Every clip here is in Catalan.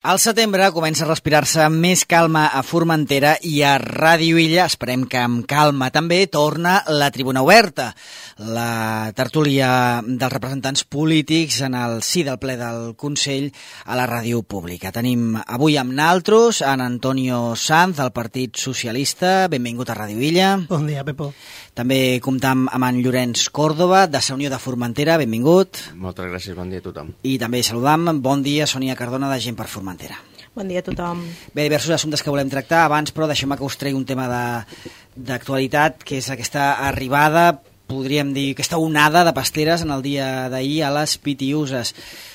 Al setembre comença a respirar-se més calma a Formentera i a Ràdio Illa, esperem que amb calma també, torna la Tribuna Oberta, la tertúlia dels representants polítics en el si del ple del Consell a la ràdio pública. Tenim avui amb naltros en Antonio Sanz, del Partit Socialista. Benvingut a Ràdio Illa. Bon dia, Pepo. També comptam amb en Llorenç Còrdova, de la Unió de Formentera. Benvingut. Moltes gràcies, bon dia a tothom. I també saludam, bon dia, Sònia Cardona, de Gent per Formentera. Bon dia a tothom. Bé, diversos assumptes que volem tractar. Abans, però, deixeu-me que us tregui un tema d'actualitat, que és aquesta arribada, podríem dir, aquesta onada de pasteres en el dia d'ahir a les Pitiuses.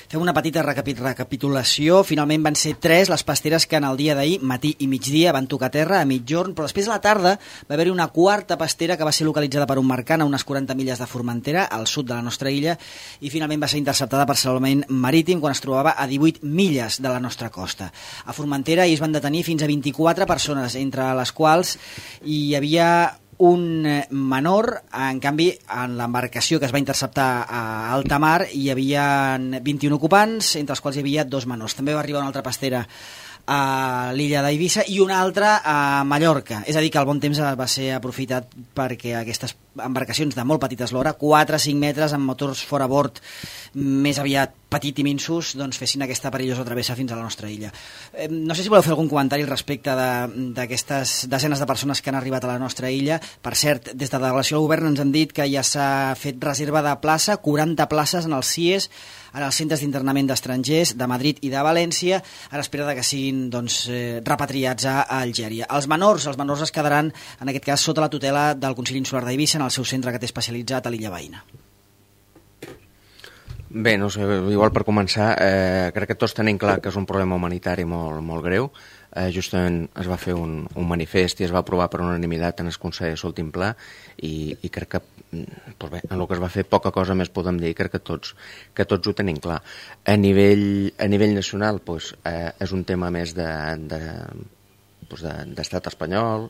Fem una petita recapitulació. Finalment van ser 3 les pasteres que en el dia d'ahir, matí i migdia, van tocar terra a mitjorn, però després a la tarda va haver-hi una quarta pastera que va ser localitzada per un mercant a unes 40 milles de Formentera, al sud de la nostra illa, i finalment va ser interceptada per salvament marítim quan es trobava a 18 milles de la nostra costa. A Formentera hi es van detenir fins a 24 persones, entre les quals hi havia un menor. En canvi, en l'embarcació que es va interceptar a alta mar hi havia 21 ocupants, entre els quals hi havia 2 menors. També va arribar una altra pastera a l'illa d'Eivissa i una altra a Mallorca. És a dir, que el bon temps va ser aprofitat perquè aquestes embarcacions de molt petita eslora, 4-5 metres amb motors fora bord, més aviat petit i minsos, doncs fessin aquesta perillosa travessa fins a la nostra illa. No sé si voleu fer algun comentari al respecte d'aquestes desenes de persones que han arribat a la nostra illa. Per cert, des de la delegació del govern ens han dit que ja s'ha fet reserva de plaça, 40 places en els CIES, en els centres d'internament d'estrangers de Madrid i de València, a l'espera que siguin repatriats a Algèria. Els menors es quedaran, en aquest cas, sota la tutela del Consell Insular d'Eivissa, en el seu centre que té especialitzat a l'illa veïna. Bé, no sé, igual per començar, crec que tots tenim clar que és un problema humanitari molt, molt greu. Justament es va fer un manifest i es va aprovar per unanimitat en el Consell de l'últim ple i crec que doncs bé, en el que es va fer poca cosa més podem dir, crec que tots ho tenim clar. A nivell nacional doncs, és un tema més d'estat espanyol,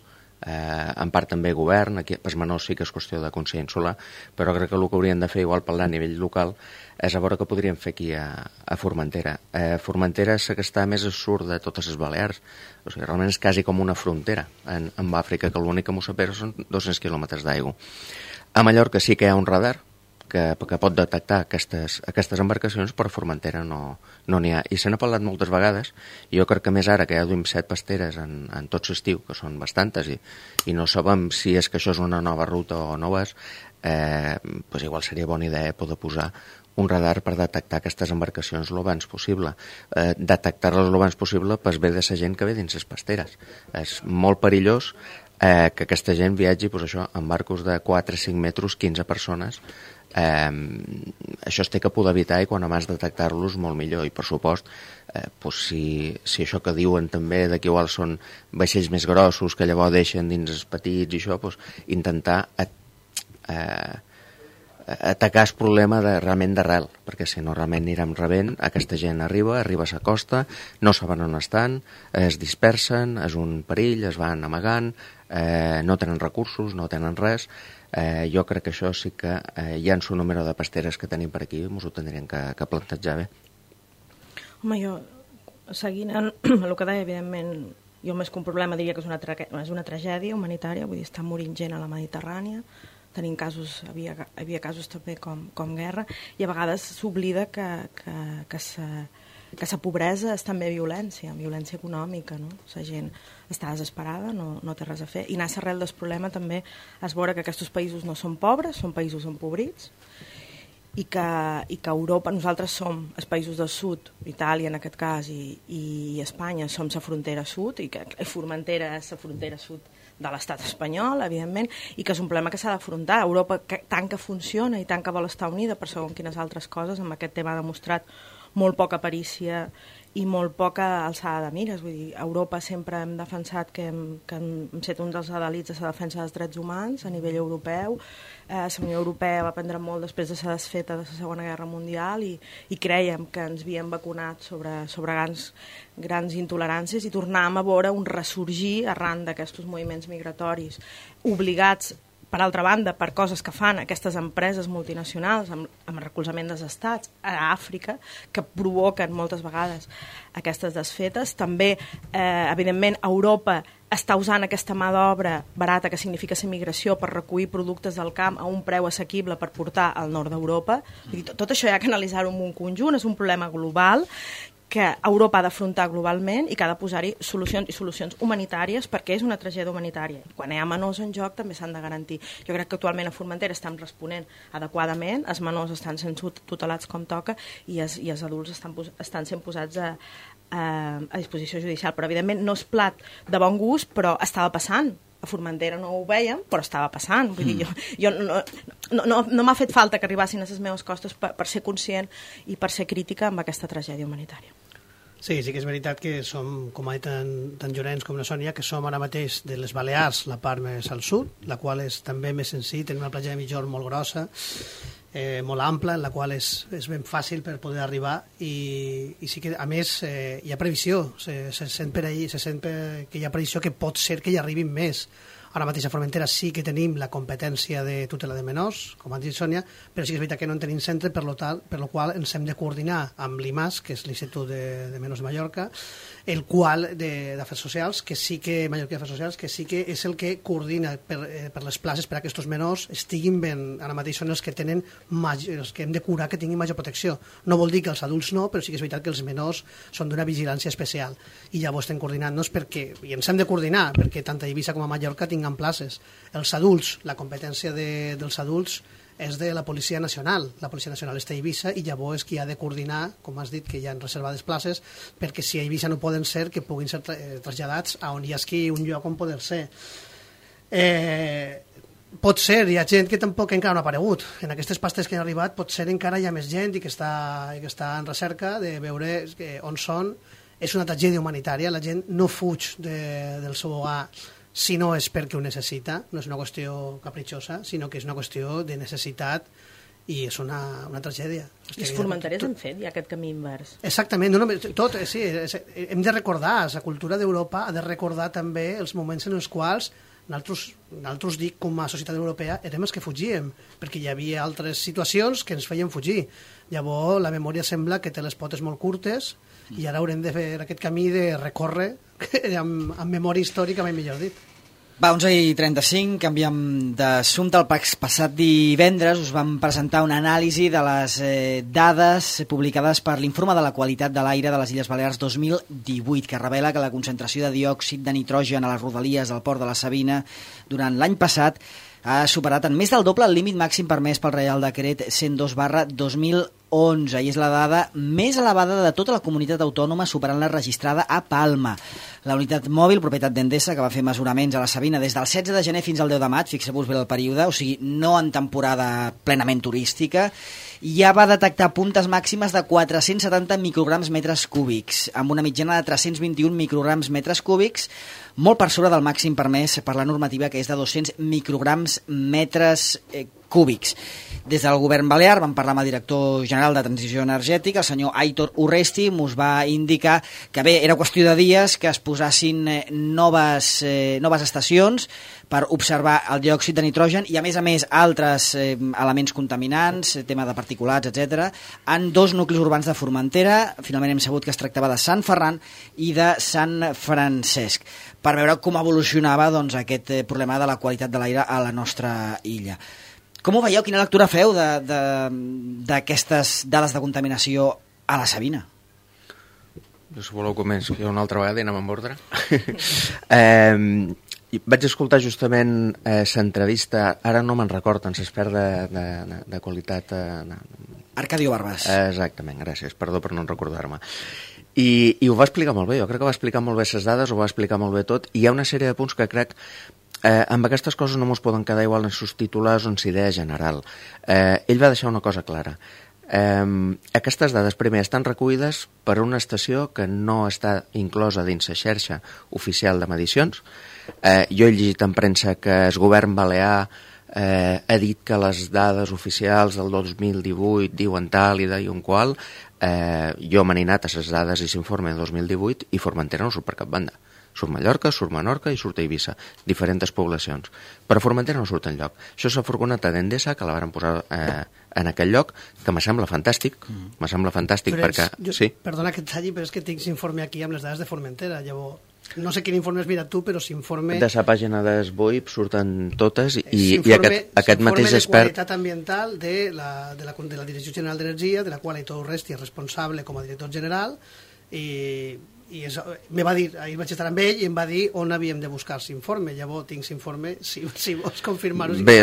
en part també govern, aquí per menors sí que és qüestió de Consell Insular, però crec que el que haurien de fer, igual parlar a nivell local, és a veure què podríem fer aquí a Formentera. Formentera és la que està més al sud de totes les Balears, o sigui, realment és quasi com una frontera amb Àfrica, que l'únic que m'ho separa són 200 quilòmetres d'aigua. A Mallorca sí que hi ha un radar que pot detectar aquestes embarcacions, però a Formentera no n'hi ha. I se n'ha parlat moltes vegades, i jo crec que més ara que ja duim 7 pasteres en tot l'estiu, que són bastantes, i no sabem si és que això és una nova ruta o no és, doncs igual seria bona idea poder posar un radar per detectar aquestes embarcacions l'abans possible. Detectar-les l'abans possible per bé de la gent que ve dins les pasteres. És molt perillós que aquesta gent viatgi en barcos de 4-5 metres, 15 persones. Això es té que poder evitar i quan abans detectar-los molt millor. I per supost, si això que diuen també que igual són vaixells més grossos que llavors deixen dins els petits i això, intentar atacar el problema realment d'arrel, perquè si no realment anirem rebent, aquesta gent arriba a la costa, no saben on estan, es dispersen, és un perill, es van amagant, no tenen recursos, no tenen res. Jo crec que això sí que hi ha un número de pasteres que tenim per aquí, ens ho tindrien que plantejar bé. Home, jo, seguint el que deia, evidentment, jo més que un problema diria que és una tragèdia humanitària, vull dir, està morint gent a la Mediterrània, tenim casos, havia casos també com guerra, i a vegades s'oblida que la pobresa és també violència econòmica, no? La gent està desesperada, no té res a fer, i anar a l'arrel del problema també és veure que aquests països no són pobres, són països empobrits, i que Europa, nosaltres som els països del sud, Itàlia en aquest cas i Espanya som la frontera sud, i que Formentera és la frontera sud de l'estat espanyol, evidentment, i que és un problema que s'ha d'afrontar. Europa, tant que funciona i tant que vol estar unida per segons quines altres coses, amb aquest tema ha demostrat molt poca perícia i molt poca alçada de mires. Vull dir, a Europa sempre hem defensat que hem set un dels adalits de la defensa dels drets humans a nivell europeu. La Unió Europea va prendre molt després de la desfeta de la Segona Guerra Mundial i crèiem que ens havíem vacunat sobre grans intoleràncies i tornàvem a veure un ressorgir arran d'aquests moviments migratoris obligats per altra banda, per coses que fan aquestes empreses multinacionals amb recolzament dels estats a Àfrica, que provoquen moltes vegades aquestes desfetes. També, evidentment, Europa està usant aquesta mà d'obra barata, que significa ser migració, per recollir productes del camp a un preu assequible per portar al nord d'Europa. Tot això hi ha que analitzar-ho en un conjunt, és un problema global que Europa ha d'afrontar globalment i que ha de posar-hi solucions, i solucions humanitàries, perquè és una tragèdia humanitària. Quan hi ha menors en joc també s'han de garantir. Jo crec que actualment a Formentera estan responent adequadament, els menors estan sent tutelats com toca i els adults estan sent posats a disposició judicial. Però evidentment no és plat de bon gust, però estava passant. A Formentera no ho vèiem, però estava passant. Vull dir, jo no m'ha fet falta que arribassin a les meves costes per ser conscient i per ser crítica amb aquesta tragèdia humanitària. Sí que és veritat que som, com ha dit tant Llorenç com la Sònia, que som ara mateix de les Balears, la part més al sud, la qual és també més senzill, tenim una platja de Migjorn molt grossa, molt ampla, en la qual és ben fàcil per poder arribar i sí que, a més, hi ha previsió, se sent que hi ha previsió que pot ser que hi arribin més. Ara mateix a Formentera sí que tenim la competència de tutela de menors, com ha dit Sònia, però sí que és veritat que no en tenim centre, per lo qual ens hem de coordinar amb l'IMAS, que és l'Institut de Menors de Mallorca, el qual d'Afers Socials, que sí que Mallorquí d'Afers Socials, que sí que és el que coordina per les places per a que aquests menors estiguin ben, ara mateix són els que tenen els que hem de curar que tinguin major protecció. No vol dir que els adults no, però sí que és veritat que els menors són d'una vigilància especial i llavors estem coordinant-nos i ens hem de coordinar perquè tant a Eivissa com a Mallorca tinguin places. Els adults, la competència dels adults és de la Policia Nacional. La Policia Nacional està a Eivissa i llavors qui ha de coordinar, com has dit, que hi ha reservades places, perquè si a Eivissa no poden ser, que puguin ser traslladats a on hi hagi un lloc on poder ser. Pot ser, hi ha gent que tampoc encara no ha aparegut. En aquestes pastes que han arribat pot ser encara hi ha més gent i que està en recerca de veure on són. És una tragèdia humanitària, la gent no fuig del seu hogar si no és perquè ho necessita, no és una qüestió capritxosa, sinó que és una qüestió de necessitat i és una tragèdia. Els formenterers han fet ja aquest camí invers. Exactament, tot, sí, hem de recordar, la cultura d'Europa ha de recordar també els moments en els quals nosaltres dic, com a societat europea, érem els que fugíem, perquè hi havia altres situacions que ens feien fugir. Llavors, la memòria sembla que té les potes molt curtes i ara haurem de fer aquest camí de recórrer amb memòria històrica, mai millor dit. Va, 11:35, canviem d'assumpte. El passat divendres us vam presentar una anàlisi de les dades publicades per l'Informe de la Qualitat de l'Aire de les Illes Balears 2018, que revela que la concentració de diòxid de nitrogen a les rodalies del port de la Sabina durant l'any passat ha superat en més del doble el límit màxim permès pel Reial Decret 102/2011 i és la dada més elevada de tota la comunitat autònoma, superant la registrada a Palma. La unitat mòbil, propietat d'Endesa, que va fer mesuraments a la Sabina des del 16 de gener fins al 10 de maig, fixeu-vos bé el període, o sigui, no en temporada plenament turística, ja va detectar puntes màximes de 470 micrograms metres cúbics, amb una mitjana de 321 micrograms metres cúbics, molt per sobre del màxim permès per la normativa, que és de 200 micrograms metres cúbics. Des del govern balear vam parlar amb el director general de Transició Energètica, el senyor Aitor Urresti, us va indicar que bé, era qüestió de dies que es posassin noves estacions per observar el diòxid de nitrogen i a més altres elements contaminants, tema de particulats, etc., en 2 nuclis urbans de Formentera. Finalment hem sabut que es tractava de Sant Ferran i de Sant Francesc, per veure com evolucionava aquest problema de la qualitat de l'aire a la nostra illa. Com ho veieu? Quina lectura feu d'aquestes dades de contaminació a la Sabina? Si voleu començo una altra vegada i anem amb ordre. Vaig escoltar justament l'entrevista, ara no me'n recordo, en s'espert de qualitat... Arcadio Barbas. Exactament, gràcies, perdó per no recordar-me. I ho va explicar molt bé, jo crec que va explicar molt bé les dades, ho va explicar molt bé tot, i hi ha una sèrie de punts que crec amb aquestes coses no ens poden quedar igual en sus titulars o en la idea general. Ell va deixar una cosa clara. Aquestes dades primer estan recollides per una estació que no està inclosa dins la xarxa oficial de medicions. Jo he llegit en premsa que el govern balear ha dit que les dades oficials del 2018 diuen tal i diuen qual. jo m'he anat a les dades i s'informe de 2018 i Formentera no surt per cap banda. Surt Mallorca, surt Menorca i surt Eivissa, diferents poblacions. Però Formentera no surt enlloc. Això és la furgoneta d'Endesa, que la varen posar en aquell lloc, que me sembla fantàstic, perquè... Sí? Perdona que et talli, però és que tinc informe aquí amb les dades de Formentera, llavors... No sé quin informe has mirat tu, però s'informe... De la pàgina d'Esboip surten totes i aquest mateix expert... de qualitat ambiental de la Direcció General d'Energia, de la qual Aitor Urresti és responsable com a director general, i me va dir, ahir vaig estar amb ell i em va dir on havíem de buscar l'informe. Llavors tinc l'informe, si vols confirmar-ho. Bé,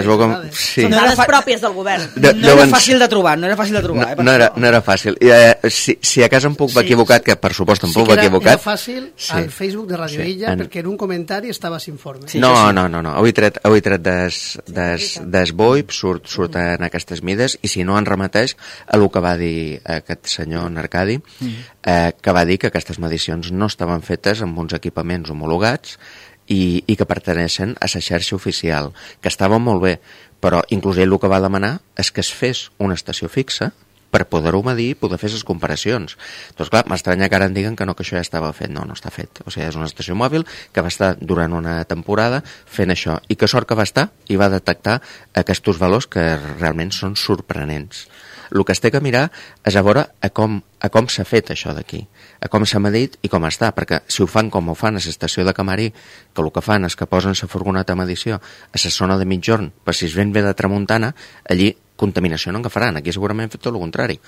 sí. Són dades pròpies del govern. No era fàcil de trobar. No era fàcil. Si a casa em puc haver equivocat, que per supost em puc haver equivocat... Era fàcil al Facebook de Radio Illa, perquè en un comentari estava l'informe. No. Avui tret d'Esboip surten aquestes mides, i si no en remeteix a el que va dir aquest senyor Arcadi, que va dir que aquestes medicions no estaven fetes amb uns equipaments homologats i que pertaneixen a la xarxa oficial, que estaven molt bé, però inclús ell el que va demanar és que es fes una estació fixa per poder-ho medir i poder fer les comparacions. Doncs clar, m'estranya que ara em diguen que no, que això ja estava fet. No està fet. O sigui, és una estació mòbil que va estar durant una temporada fent això, i que sort que va estar i va detectar aquests valors que realment són sorprenents. El que es té que mirar és a veure a com s'ha fet això d'aquí, a com s'ha medit i com està, perquè si ho fan com ho fan a l'estació de Camarí, que el que fan és que posen la furgoneta de medició a la zona de mitjorn, per si es ven bé de tramuntana, allí contaminació no en agafaran, aquí segurament han fet tot el contrari.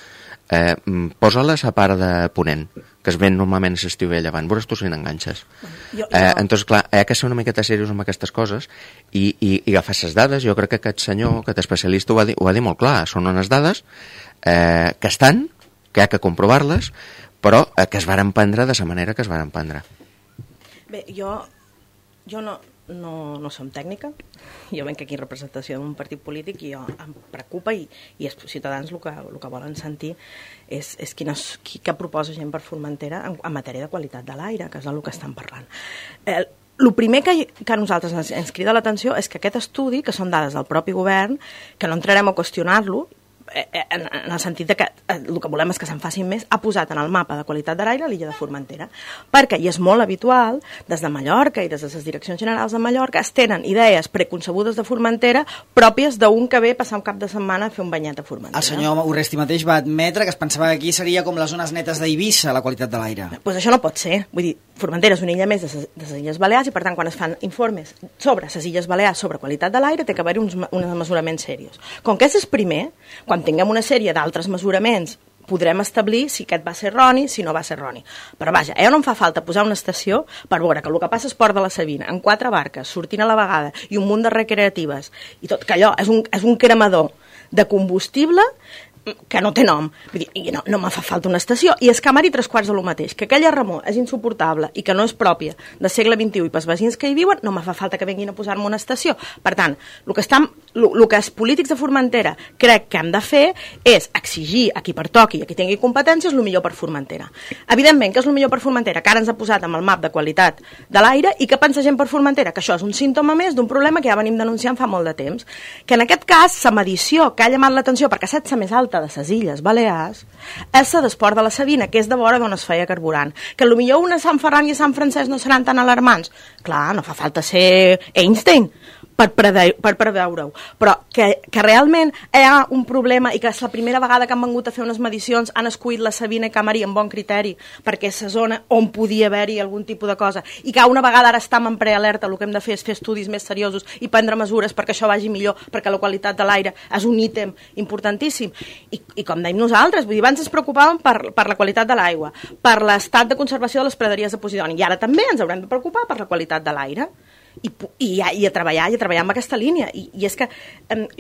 Posa-la a la part de ponent, que es ven normalment a l'estiu i a llevant, veuràs tu si n'enganxes. Entonces, clar, hi ha que ser una miqueta seriós amb aquestes coses i agafar les dades. Jo crec que aquest senyor, aquest especialista, ho va dir molt clar. Són unes dades que estan, que hi ha que comprovar-les, però que es varen prendre de la manera que es varen prendre. Bé, jo no som tècnica, jo venc aquí en representació d'un partit polític i em preocupa, i els ciutadans el que volen sentir és què proposa gent per Formentera en matèria de qualitat de l'aire, que és del que estan parlant. El primer que a nosaltres ens crida l'atenció és que aquest estudi, que són dades del propi govern, que no entrarem a qüestionar-lo, en el sentit que el que volem és que se'n facin més, ha posat en el mapa de qualitat de l'aire l'illa de Formentera, perquè hi és molt habitual, des de Mallorca i des de les direccions generals de Mallorca, es tenen idees preconcebudes de Formentera pròpies d'un que ve a passar un cap de setmana a fer un banyat a Formentera. El senyor Urresti mateix va admetre que es pensava que aquí seria com les zones netes d'Eivissa, la qualitat de l'aire. Doncs això no pot ser. Vull dir, Formentera és una illa més de les Illes Balears, i per tant quan es fan informes sobre les Illes Balears sobre qualitat de l'aire té que haver-hi uns mesuraments serios. Com que és el primer, quan tinguem una sèrie d'altres mesuraments podrem establir si aquest va ser erroni, si no va ser erroni. Però vaja, no em fa falta posar una estació per veure que el que passa és Port de la Sabina, amb 4 barques, sortint a la vegada, i un munt de recreatives, i tot, que allò és un cremador de combustible que no té nom. Vull dir, no me fa falta una estació. I és Camari 3/4 de lo mateix. Que aquella remor és insuportable i que no és pròpia del segle XXI i pels veïns que hi viuen, no me fa falta que vinguin a posar-me una estació. Per tant, el que els polítics de Formentera crec que hem de fer és exigir a qui pertoqui i a qui tingui competències el millor per Formentera. Evidentment, que és el millor per Formentera, que ara ens ha posat amb el map de qualitat de l'aire, i que pensa gent per Formentera, que això és un símptoma més d'un problema que ja venim denunciant fa molt de temps. Que en aquest cas, la medició que ha llamat l'atenció, perquè ha estat la més alta de les Illes Balears, és la d'Esport de la Sabina, que és de vora d'on es feia carburant. Que potser una Sant Ferran i Sant Francesc no seran tan alarmants. Clar, no fa falta ser Einstein per preveure-ho, però que realment hi ha un problema i que és la primera vegada que han vingut a fer unes medicions han escollit la Sabina i Camarí amb bon criteri perquè és la zona on podia haver-hi algun tipus de cosa, i que una vegada ara estem en prealerta, el que hem de fer és fer estudis més seriosos i prendre mesures perquè això vagi millor, perquè la qualitat de l'aire és un ítem importantíssim. I com dèiem nosaltres, vull dir, abans ens preocupàvem per la qualitat de l'aigua, per l'estat de conservació de les praderies de Posidoni, i ara també ens haurem de preocupar per la qualitat de l'aire. I a treballar amb aquesta línia, i és que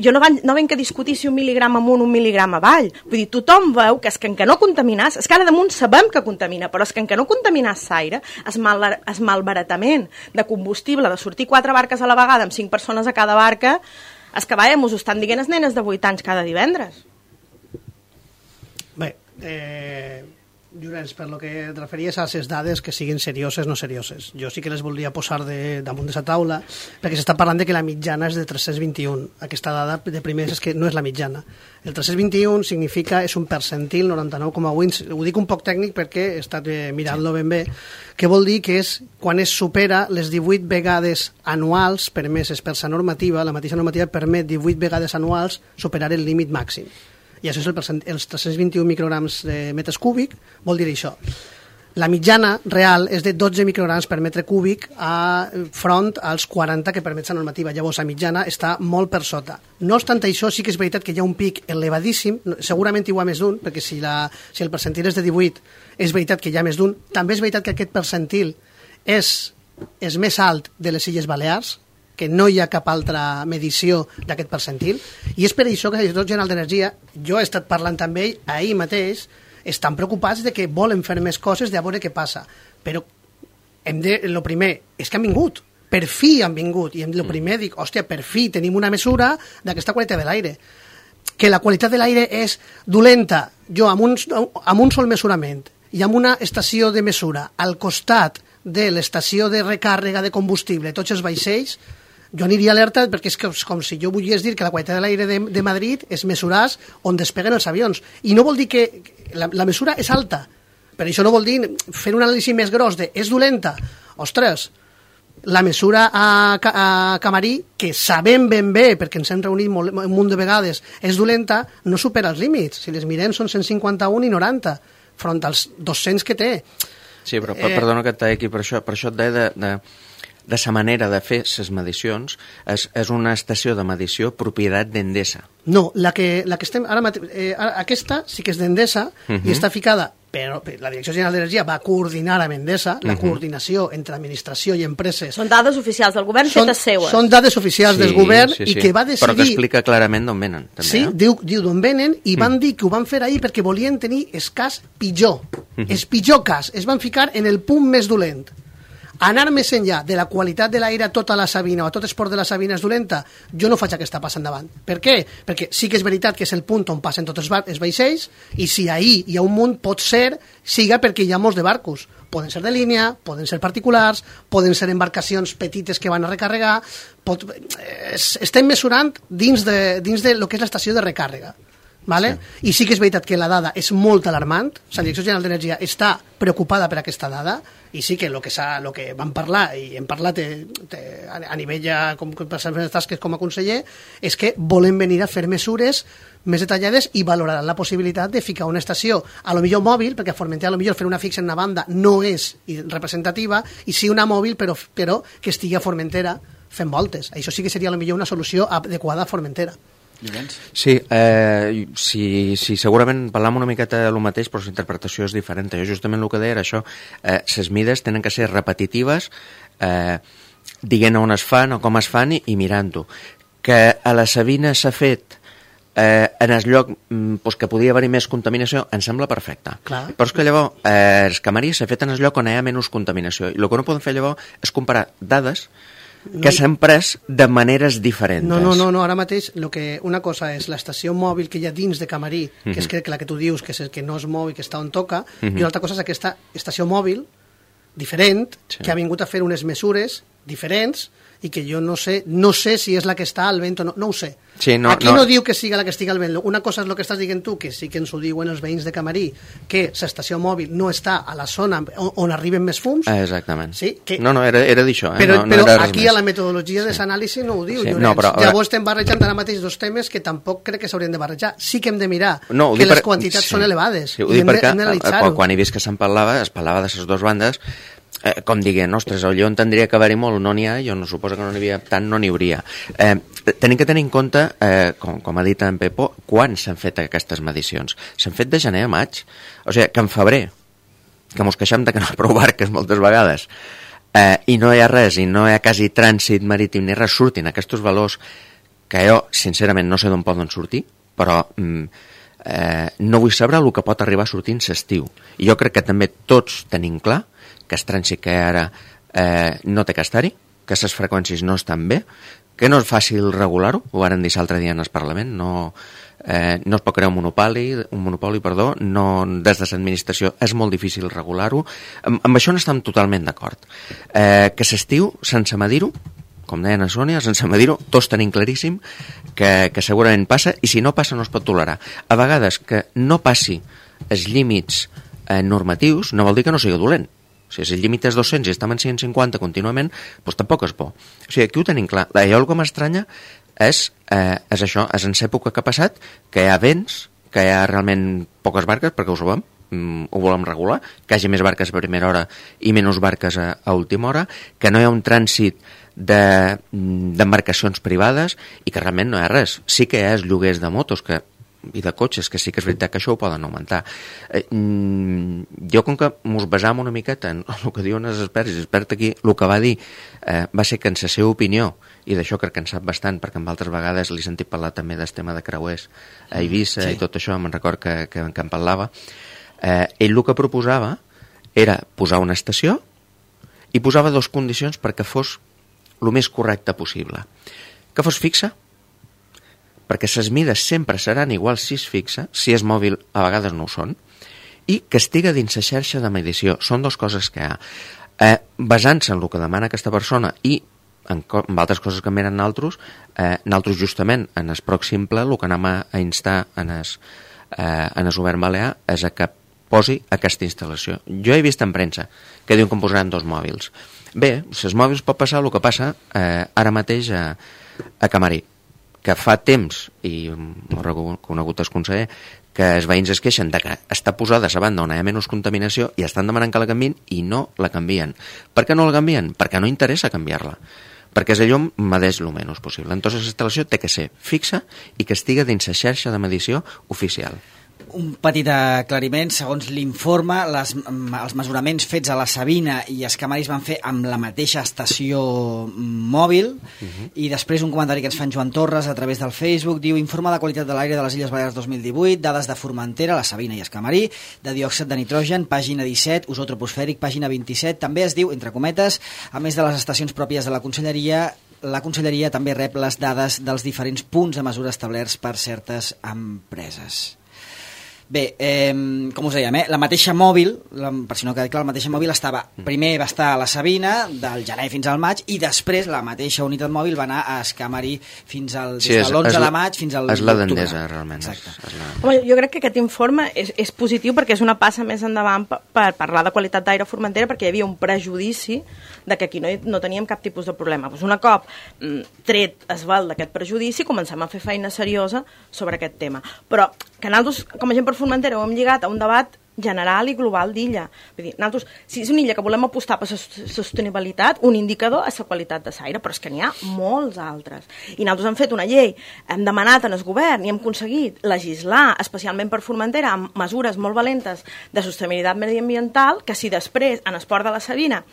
jo no venc a discutir si 1 mil·ligram amunt, 1 mil·ligram avall. Vull dir, tothom veu que és que en què no contaminàs, és que ara damunt sabem que contamina, però és que en què no contaminàs l'aire, es malbaratament de combustible, de sortir 4 barques a la vegada amb 5 persones a cada barca, és que vaja, mos ho estan dient els nenes de 8 anys cada divendres. Bé, Llorenç, per lo que et referies a les dades que siguin serioses o no serioses. Jo sí que les voldria posar damunt de la taula, perquè s'està parlant de que la mitjana és de 321. Aquesta dada de primers és que no és la mitjana. El 321 significa, és un percentil, 99,8, ho dic un poc tècnic perquè he estat mirant-lo ben bé, que vol dir que és quan es supera les 18 vegades anuals permeses per la normativa, la mateixa normativa permet 18 vegades anuals superar el límit màxim. I això és els 321 micrograms de metres cúbic, vol dir això. La mitjana real és de 12 micrograms per metre cúbic front als 40 que permet la normativa. Llavors, la mitjana està molt per sota. No obstant això, sí que és veritat que hi ha un pic elevadíssim, segurament hi ha més d'un, perquè si el percentil és de 18, és veritat que hi ha més d'un. També és veritat que aquest percentil és més alt de les Illes Balears, que no hi ha cap altra medició d'aquest percentil, i és per això que el Director General d'Energia, jo he estat parlant amb ell ahir mateix, estan preocupats de que volen fer més coses, de veure què passa. Però el primer és que han vingut, per fi han vingut, i el primer dic, hòstia, per fi tenim una mesura d'aquesta qualitat de l'aire. Que la qualitat de l'aire és dolenta, jo amb un sol mesurament i amb una estació de mesura al costat de l'estació de recàrrega de combustible, tots els vaixells, jo aniria alerta perquè és com si jo volgués dir que la qualitat de l'aire de Madrid és mesurar on despeguen els avions. I no vol dir que la mesura és alta, però això no vol dir fer un anàlisi més gros de és dolenta. Ostres, la mesura a Camarí, que sabem ben bé, perquè ens hem reunit un munt de vegades, és dolenta, no supera els límits. Si les mirem són 151 i 90, front als 200 que té. Sí, però perdona que et talli aquí, per això et deia de sa manera de fer les medicions, és una estació de medició propietat d'Endesa. No, la que estem ara aquesta sí que és d'Endesa i està ficada, però la Direcció General d'Energia va coordinar amb Endesa, la coordinació entre administració i empreses. Són dades oficials del govern fetes seues. Són dades oficials del govern i que va decidir... Però que explica clarament d'on venen. També, sí, diu d'on venen i van dir que ho van fer ahir perquè volien tenir el cas pitjor. El pitjor cas. Es van ficar en el punt més dolent. Anar més enllà de la qualitat de l'aire a tota la Sabina o a tot el port de la Sabina és dolenta, jo no faig aquesta passa endavant. Per què? Perquè sí que és veritat que és el punt on passen tots els vaixells i si ahir hi ha un munt pot ser, siga perquè hi ha molts de barcos. Poden ser de línia, poden ser particulars, poden ser embarcacions petites que van a recarregar. Estem mesurant dins de lo que és l'estació de recàrrega. Vale? Sí. I sí que és veritat que la dada és molt alarmant, la Direcció General d'Energia està preocupada per aquesta dada i sí que el que vam parlar i hem parlat a nivell ja per les meves tasques com a conseller és que volen venir a fer mesures més detallades i valoraran la possibilitat de ficar una estació, a lo millor mòbil, perquè a Formentera a lo millor fer una fixa en una banda no és representativa, i sí una mòbil però que estigui a Formentera fent voltes. Això sí que seria a lo millor una solució adequada a Formentera. Sí, sí, segurament parlam una miqueta del mateix, però la interpretació és diferent. Jo justament el que deia era això, les mides tenen que ser repetitives, dient on es fan o com es fan i mirant-ho. Que a la Sabina s'ha fet en el lloc que podia haver-hi més contaminació, em sembla perfecte. Clar. Però és que llavors el Camarí s'ha fet en el lloc on hi ha menys contaminació i el que no podem fer llavors és comparar dades que s'han pres de maneres diferents. No, ara mateix una cosa és l'estació mòbil que hi ha dins de Camarí, que és la que tu dius que no es mou i que està on toca, i una altra cosa és aquesta estació mòbil diferent, que ha vingut a fer unes mesures diferents i que jo no sé si és la que està al vent o no ho sé. Sí, aquí no diu que siga la que estigui al vent. Una cosa és el que estàs dient tu, que sí que ens ho diuen els veïns de Camarí, que l'estació mòbil no està a la zona on arriben més fums. Exactament. Sí, que... No, era d'això. Però aquí a la metodologia de l'anàlisi no ho diu, Llorenç. Llavors estem barrejant ara mateix dos temes que tampoc crec que s'haurien de barrejar. Sí que hem de mirar que les quantitats són elevades. Sí, ho dic perquè quan he vist que es parlava de les dues bandes, com diguem, ostres, allò en tindria que haver-hi molt, no n'hi ha, jo no suposo que no n'hi havia tant, no n'hi hauria. Tenim que tenir en compte, com ha dit en Pepo, quan s'han fet aquestes medicions. S'han fet de gener a maig, o sigui, que en febrer, que mos queixem de que no hi ha prou barques moltes vegades, i no hi ha res, i no hi ha quasi trànsit marítim ni res, surtin aquests valors que jo, sincerament, no sé d'on poden sortir, però no vull saber el que pot arribar sortint l'estiu. I jo crec que també tots tenim clar que el trànsit que ara no té que estar-hi, que les freqüències no estan bé, que no és fàcil regular-ho, ho varen dir l'altre dia en el Parlament, no, no es pot crear un monopoli, des de l'administració és molt difícil regular-ho. Amb això no estem totalment d'acord. Que s'estiu, sense medir-ho, com deia a Sònia, sense medir-ho, tots tenim claríssim que segurament passa, i si no passa no es pot tolerar. A vegades que no passi els límits normatius no vol dir que no sigui dolent. Si el límit és 200 i estem en 150 contínuament, doncs tampoc és bo. O sigui, aquí ho tenim clar. Allò que m'estranya és això, és en l'època que ha passat, que hi ha vents, que hi ha realment poques barques, perquè ho sabem, ho volem regular, que hi hagi més barques a primera hora i menys barques a última hora, que no hi ha un trànsit d'embarcacions privades i que realment no hi ha res. Sí que hi ha els lloguers de motos i de cotxes, que sí que és veritat que això ho poden augmentar. Jo, com que ens basam una miqueta en el que diuen els experts, i l'expert aquí el que va dir va ser que en la seva opinió, i d'això crec que en sap bastant, perquè en altres vegades li he sentit parlar també del tema de creuers a Eivissa i tot això, me'n record que en parlava, ell el que proposava era posar una estació i posava dues condicions perquè fos el més correcte possible. Que fos fixa, perquè les mides sempre seran iguals si és fixa, si és mòbil a vegades no ho són, i que estiga dins la xarxa de medició. Són dues coses que hi ha. Basant-se en el que demana aquesta persona i en altres coses que miren nosaltres justament en el pròxim ple el que anem a instar en el govern balear és que posi aquesta instal·lació. Jo he vist en premsa que diuen que em posaran 2 mòbils. Bé, els mòbils pot passar el que passa ara mateix a Camarí, que fa temps, i m'ho ha reconegut el conseller, que els veïns es queixen de que està posada a la banda on hi ha menys contaminació i estan demanant que la canvien i no la canvien. Per què no la canvien? Perquè no interessa canviar-la. Perquè el llum medeix el menys possible. Entonces la instal·lació té que ser fixa i que estigui dins la xarxa de medició oficial. Un petit aclariment, segons l'informe, els mesuraments fets a la Sabina i els Camaris van fer amb la mateixa estació mòbil, i després un comentari que ens fan Joan Torres a través del Facebook, diu: informe de qualitat de l'aire de les Illes Balears 2018, dades de Formentera, la Sabina i el Camarí, de diòxid de nitrogen, pàgina 17, ozó troposfèric, pàgina 27, també es diu, entre cometes, a més de les estacions pròpies de la Conselleria també rep les dades dels diferents punts de mesura establerts per certes empreses. Bé, com us dèiem, la mateixa mòbil, per si no queda clar, la mateixa mòbil primer va estar a la Sabina del gener fins al maig, i després la mateixa unitat mòbil va anar a Escamari des de l'11 de maig fins al és la d'Endesa, realment. Home, jo crec que aquest informe és positiu perquè és una passa més endavant per parlar de qualitat d'aire a Formentera, perquè hi havia un prejudici de que aquí no teníem cap tipus de problema. Pues un cop tret es val d'aquest prejudici, comencem a fer feina seriosa sobre aquest tema. Però que nosaltres, com a gent per Formentera, ho hem lligat a un debat general i global d'illa. Vull dir, nosaltres, si és una illa que volem apostar per la sostenibilitat, un indicador és la qualitat de l'aire, però és que n'hi ha molts altres. I nosaltres hem fet una llei, hem demanat en el govern i hem aconseguit legislar, especialment per Formentera, amb mesures molt valentes de sostenibilitat mediambiental, que si després, en el port de la Sabina,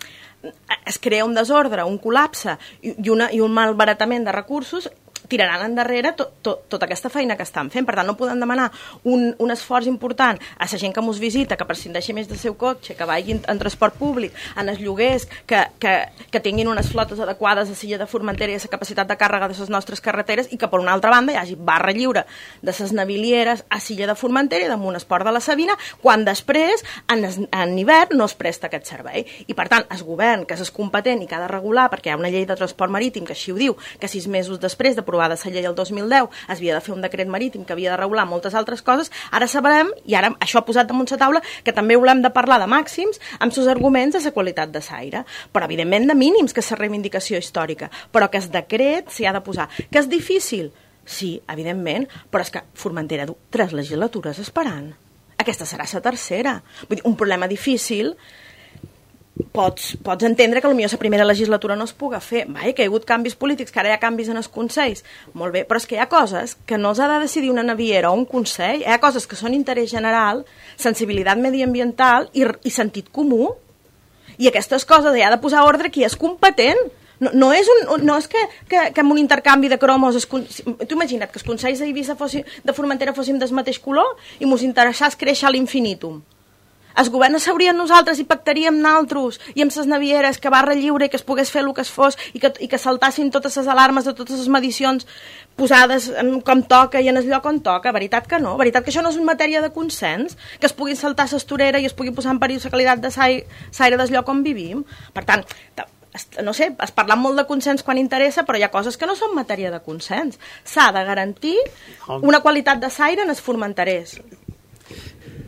es crea un desordre, un col·lapse i un malbaratament de recursos, tiraran endarrere tota aquesta feina que estan fent. Per tant, no podem demanar un esforç important a la gent que ens visita, que prescindeixi més del seu cotxe, que vagin en transport públic, en els lloguers, que tinguin unes flotes adequades a l'illa de Formentera i a la capacitat de càrrega de les nostres carreteres, i que, per una altra banda, hi hagi barra lliure de les navilieres a l'illa de Formentera i damunt el port de la Sabina, quan després, en hivern, no es presta aquest servei. I, per tant, el govern, que és competent i que ha de regular, perquè hi ha una llei de transport marítim que així ho diu, que 6 mesos després d'aprovar de la llei del 2010 es havia de fer un decret marítim que havia de regular moltes altres coses, ara sabrem, i ara això ha posat damunt la taula, que també volem de parlar de màxims amb els arguments de la qualitat de l'aire, però evidentment de mínims, que és la reivindicació històrica, però que el decret s'hi ha de posar. Que és difícil? Sí, evidentment, però és que Formentera du 3 legislatures esperant. Aquesta serà la tercera. Vull dir, un problema difícil. Pots entendre que potser la primera legislatura no es puga fer. Que hi ha hagut canvis polítics, que ara hi ha canvis en els consells. Molt bé, però és que hi ha coses que no s'ha de decidir una naviera o un consell. Hi ha coses que són interès general, sensibilitat mediambiental i sentit comú. I aquestes coses hi ha de posar ordre qui és competent. No és que amb un intercanvi de cromos... Tu imagina't que els consells d'Eivissa de Formentera fossin del mateix color i mos interessés créixer a l'infinitum. el govern s'hauria nosaltres i pactaríem naltros i amb les navieres que barra lliure i que es pogués fer el que es fos i que saltassin totes les alarmes de totes les medicions posades com toca i en el lloc on toca. Veritat que no? Veritat que això no és una matèria de consens? Que es puguin saltar l'estorera i es pugui posar en perill la qualitat de l'aire del lloc on vivim? Per tant, no sé, es parla molt de consens quan interessa, però hi ha coses que no són matèria de consens. S'ha de garantir una qualitat de l'aire en els formenterers.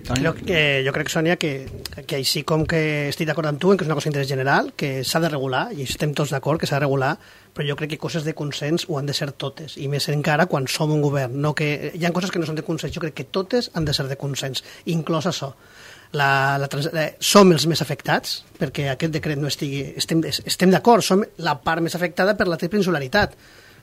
Jo crec, Sònia, que així com que estic d'acord amb tu en que és una cosa d'interès general, que s'ha de regular, i estem tots d'acord que s'ha de regular, però jo crec que coses de consens ho han de ser totes, i més encara quan som un govern. No que, hi ha coses que no són de consens, jo crec que totes han de ser de consens, inclòs això. Som els més afectats perquè aquest decret no estigui... Estem d'acord, som la part més afectada per la insularitat,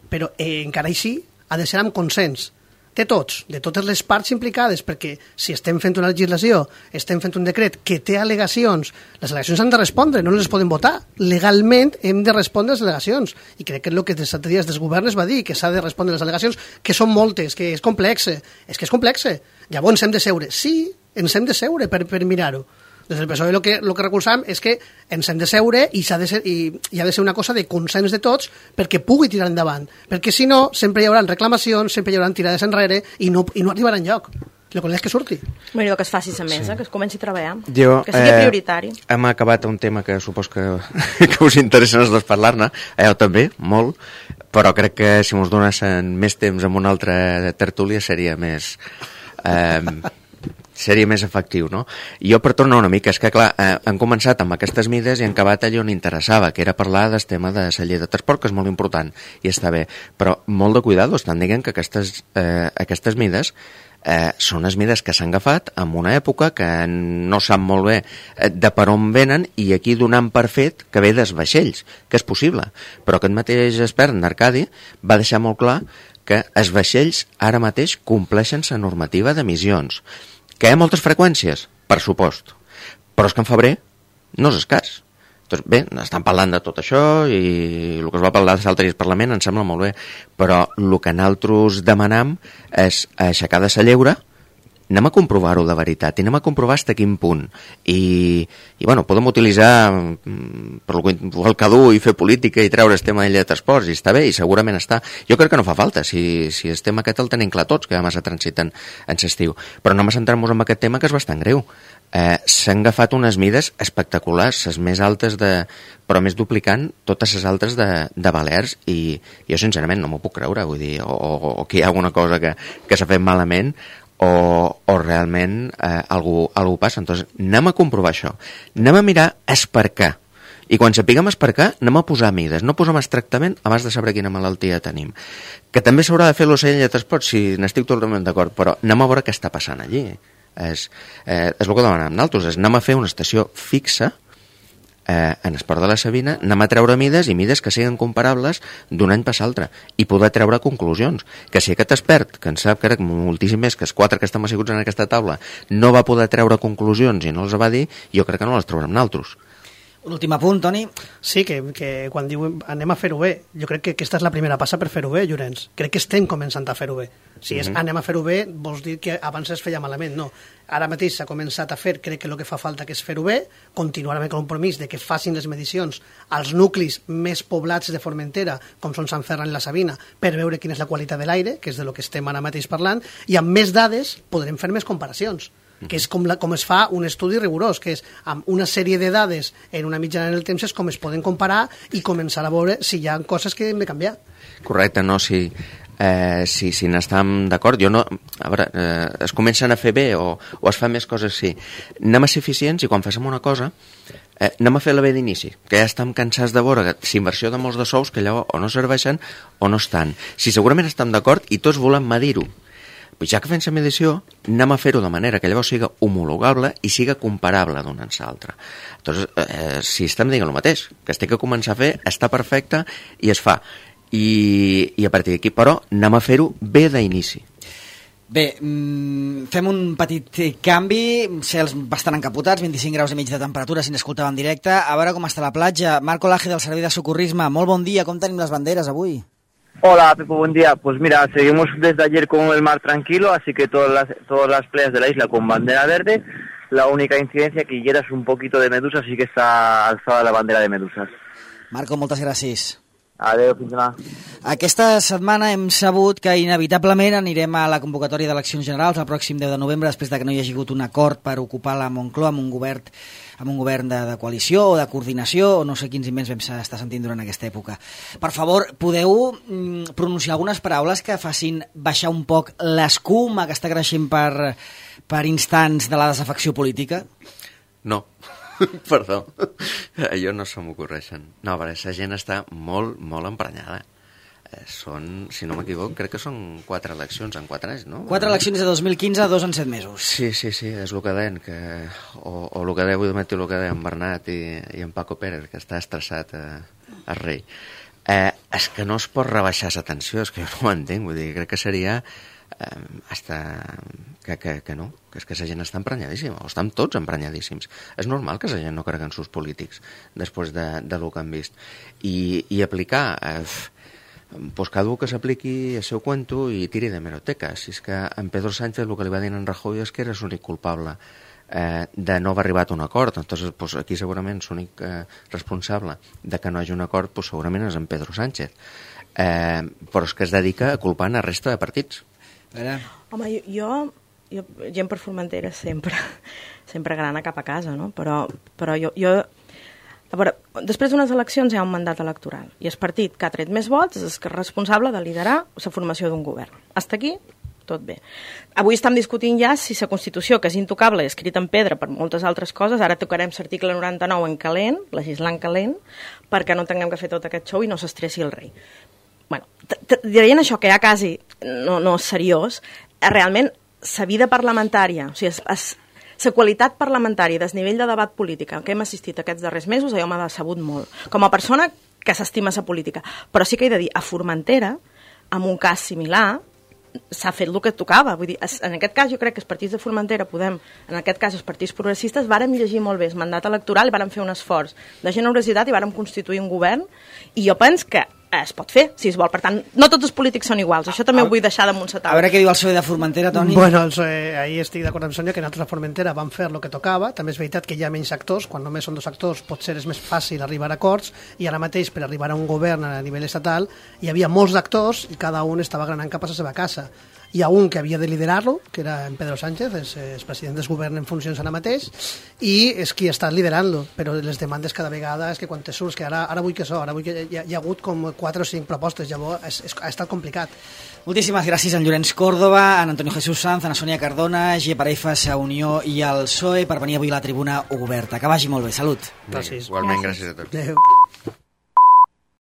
però encara així ha de ser amb consens de tots, de totes les parts implicades, perquè si estem fent una legislació, estem fent un decret que té al·legacions, les al·legacions han de respondre, no les poden votar. Legalment hem de respondre les al·legacions, i crec que és el que des de dies des governs va dir, que s'ha de respondre les al·legacions, que són moltes, que és complexe. És que és complexe. Llavors hem de seure. Sí, ens hem de seure per mirar-ho. Des del PSOE el que recolzam és que ens hem de seure i ha de ser una cosa de consens de tots perquè pugui tirar endavant, perquè si no sempre hi haurà reclamacions, sempre hi haurà tirades enrere i no arribarà enlloc. El que és que surti. Bueno, que es faci la mesa, que es comenci a treballar, que sigui prioritari. Hem acabat un tema que supos que us interessa els dos parlar-ne, jo també, molt, però crec que si mos donessin més temps amb una altra tertúlia seria més efectiu, no? Jo per tornar una mica, és que clar, han començat amb aquestes mides i han acabat allò on interessava, que era parlar del tema de la llei de transport, que és molt important i està bé, però molt de cuidado, estan dient que aquestes mides són les mides que s'han agafat en una època que no sap molt bé de per on venen i aquí donant per fet que ve dels vaixells, que és possible, però aquest mateix expert, Arcadi, va deixar molt clar que els vaixells ara mateix compleixen la normativa d'emissions. Que hi ha moltes freqüències? Per supost. Però és que en febrer no és escàs. Doncs bé, estan parlant de tot això i el que es va parlar de l'altre Parlament em sembla molt bé, però el que nosaltres demanam és aixecar de la lleure, anem a comprovar-ho de veritat i anem a comprovar fins a quin punt. I bueno, podem utilitzar per el que dur i fer política i treure el tema de transports i està bé i segurament està. Jo crec que no fa falta, si el tema aquest el tenim clar tots, que demà se transiten en l'estiu. Però anem a centrar-nos en aquest tema que és bastant greu. S'han agafat unes mides espectaculars, les més altes però més duplicant totes les altres de Balears i jo sincerament no m'ho puc creure, vull dir, o que hi ha alguna cosa que s'ha fet malament o realment algú passa. Entonces, anem a comprovar això, anem a mirar es per què, i quan sapiguem es per què anem a posar mides, no posem el tractament abans de saber quina malaltia tenim, que també s'haurà de fer l'ocell de transport, si n'estic totalment d'acord, però anem a veure què està passant allí. És el que demanem nosaltres, anem a fer una estació fixa en el port de la Sabina, anem a treure mides i mides que siguin comparables d'un any per l'altre i poder treure conclusions, que si aquest expert, que en sap crec moltíssim més que els 4 que estem asseguts en aquesta taula, no va poder treure conclusions i no els va dir, jo crec que no les traurem nosaltres. Un últim apunt, Toni. Sí, que quan diuen anem a fer-ho bé, jo crec que aquesta és la primera passa per fer-ho bé, Llorenç. Crec que estem començant a fer-ho bé. Si és anem a fer-ho bé, vols dir que abans es feia malament. No. Ara mateix s'ha començat a fer, crec que el que fa falta que és fer-ho bé, continuar amb el compromís de que facin les medicions als nuclis més poblats de Formentera, com són Sant Ferran i la Sabina, per veure quina és la qualitat de l'aire, que és de lo que estem ara mateix parlant, i amb més dades podrem fer més comparacions, que és com es fa un estudi rigorós, que és amb una sèrie de dades en una mitjana en el temps és com es poden comparar i començar a veure si hi ha coses que hem de canviar. Correcte, no, si n'estem d'acord, jo no, a veure, es comencen a fer bé o es fan més coses, sí. Anem a ser eficients i quan fem una cosa anem a fer-la bé d'inici, que ja estem cansats de veure inversió de molts de sous que allò o no serveixen o no estan. Si segurament estem d'acord i tots volem medir-ho, ja que fem la medició, anem a fer-ho de manera que llavors siga homologable i siga comparable d'un any a l'altre. Entonces, si estem dient el mateix, que es té que començar a fer, està perfecte i es fa. I a partir d'aquí, però, anem a fer-ho bé d'inici. Bé, fem un petit canvi, cels bastant encapotats, 25 graus i mig de temperatura si n'escoltava en directe. A veure com està la platja. Marco Laje del Servei de Socorrisme, molt bon dia, com tenim les banderes avui? Hola, Pepo, buen día. Pues mira, seguimos desde ayer con el mar tranquilo, así que todas las playas de la isla con bandera verde. La única incidencia que hieras un poquito de medusas, sí que está alzada la bandera de medusas. Marco, moltes gràcies. Adéu, fins demà. Aquesta setmana hem sabut que inevitablement anirem a la convocatòria d'eleccions generals el pròxim 10 de novembre, després de que no hi hagi hagut un acord per ocupar la Moncloa amb un govern de coalició o de coordinació, o no sé quins invents vam estar sentint durant aquesta època. Per favor, podeu pronunciar algunes paraules que facin baixar un poc l'escuma que està creixent per instants de la desafecció política? No. Perdó, allò no se m'ocorreixen. No, perquè la gent està molt, molt emprenyada. Són, si no m'equivoco, crec que són 4 eleccions en 4 anys, no? 4 eleccions de 2015, 2 en 7 mesos. Sí, és el que deien, o el que deia avui de matí, el que deia en Bernat i en Paco Pérez, que està estressat el rei. És que no es pot rebaixar la tensió, és que jo no ho entenc, vull dir, crec que seria que no, que és que la gent està emprenyadíssima, o estan tots emprenyadíssims. És normal que la gent no cregui en sus polítics després de lo que han vist. I aplicar, pues cada un que s'apliqui el seu cuento i tiri de hemeroteca. Si és que en Pedro Sánchez el que li va dir en Rajoy és que era l'únic culpable de no haver arribat a un acord. Entonces, pues, aquí segurament l'únic responsable de que no hi hagi un acord pues, segurament és en Pedro Sánchez. Però és que es dedica a culpar a la resta de partits. Home, jo gent per Formentera sempre grana cap a casa, no? Però jo a veure, després d'unes eleccions hi ha un mandat electoral i el partit que ha tret més vots és responsable de liderar la formació d'un govern. Hasta aquí, tot bé. Avui estem discutint ja si la Constitució, que és intocable i escrita en pedra per moltes altres coses, ara tocarem l'article 99 en calent, legislant calent, perquè no tinguem que fer tot aquest show i no s'estressi el rei. Bueno, dient això, que ja quasi no és seriós, realment la vida parlamentària, o sigui, la qualitat parlamentària i el nivell de debat polític que hem assistit aquests darrers mesos, allò m'ha decebut molt. Com a persona que s'estima la política. Però sí que he de dir, a Formentera, amb un cas similar, s'ha fet el que tocava. Vull dir, en aquest cas jo crec que els partits de Formentera podem, en aquest cas els partits progressistes, vàrem llegir molt bé el mandat electoral i vàrem fer un esforç de generositat i vàrem constituir un govern i jo penso que es pot fer, si es vol. Per tant, no tots els polítics són iguals. Això també ho vull deixar damunt la taula. A veure què diu el PSOE de Formentera, Toni. Bueno, ahí estic d'acord amb Sònia, que nosaltres a Formentera vam fer el que tocava. També és veritat que hi ha menys actors. Quan només són 2 actors potser és més fàcil arribar a acords i ara mateix per arribar a un govern a nivell estatal hi havia molts actors i cada un estava granant cap a la seva casa. Hi ha un que havia de liderar-lo, que era en Pedro Sánchez, és president del govern en funcions ara mateix, i és qui està liderant-lo, però les demandes cada vegada és que quan te surts, que ara vull que ara vull que hi ha hagut com 4 o 5 propostes, llavors ha estat complicat. Moltíssimes gràcies a en Llorenç Córdoba, a Antonio Jesús Sanz, a Sònia Cardona, G. Parefas, a Unió i al PSOE per venir avui a la tribuna oberta. Que vagi molt bé, salut. Gràcies. Igualment, gràcies a tots. Adéu.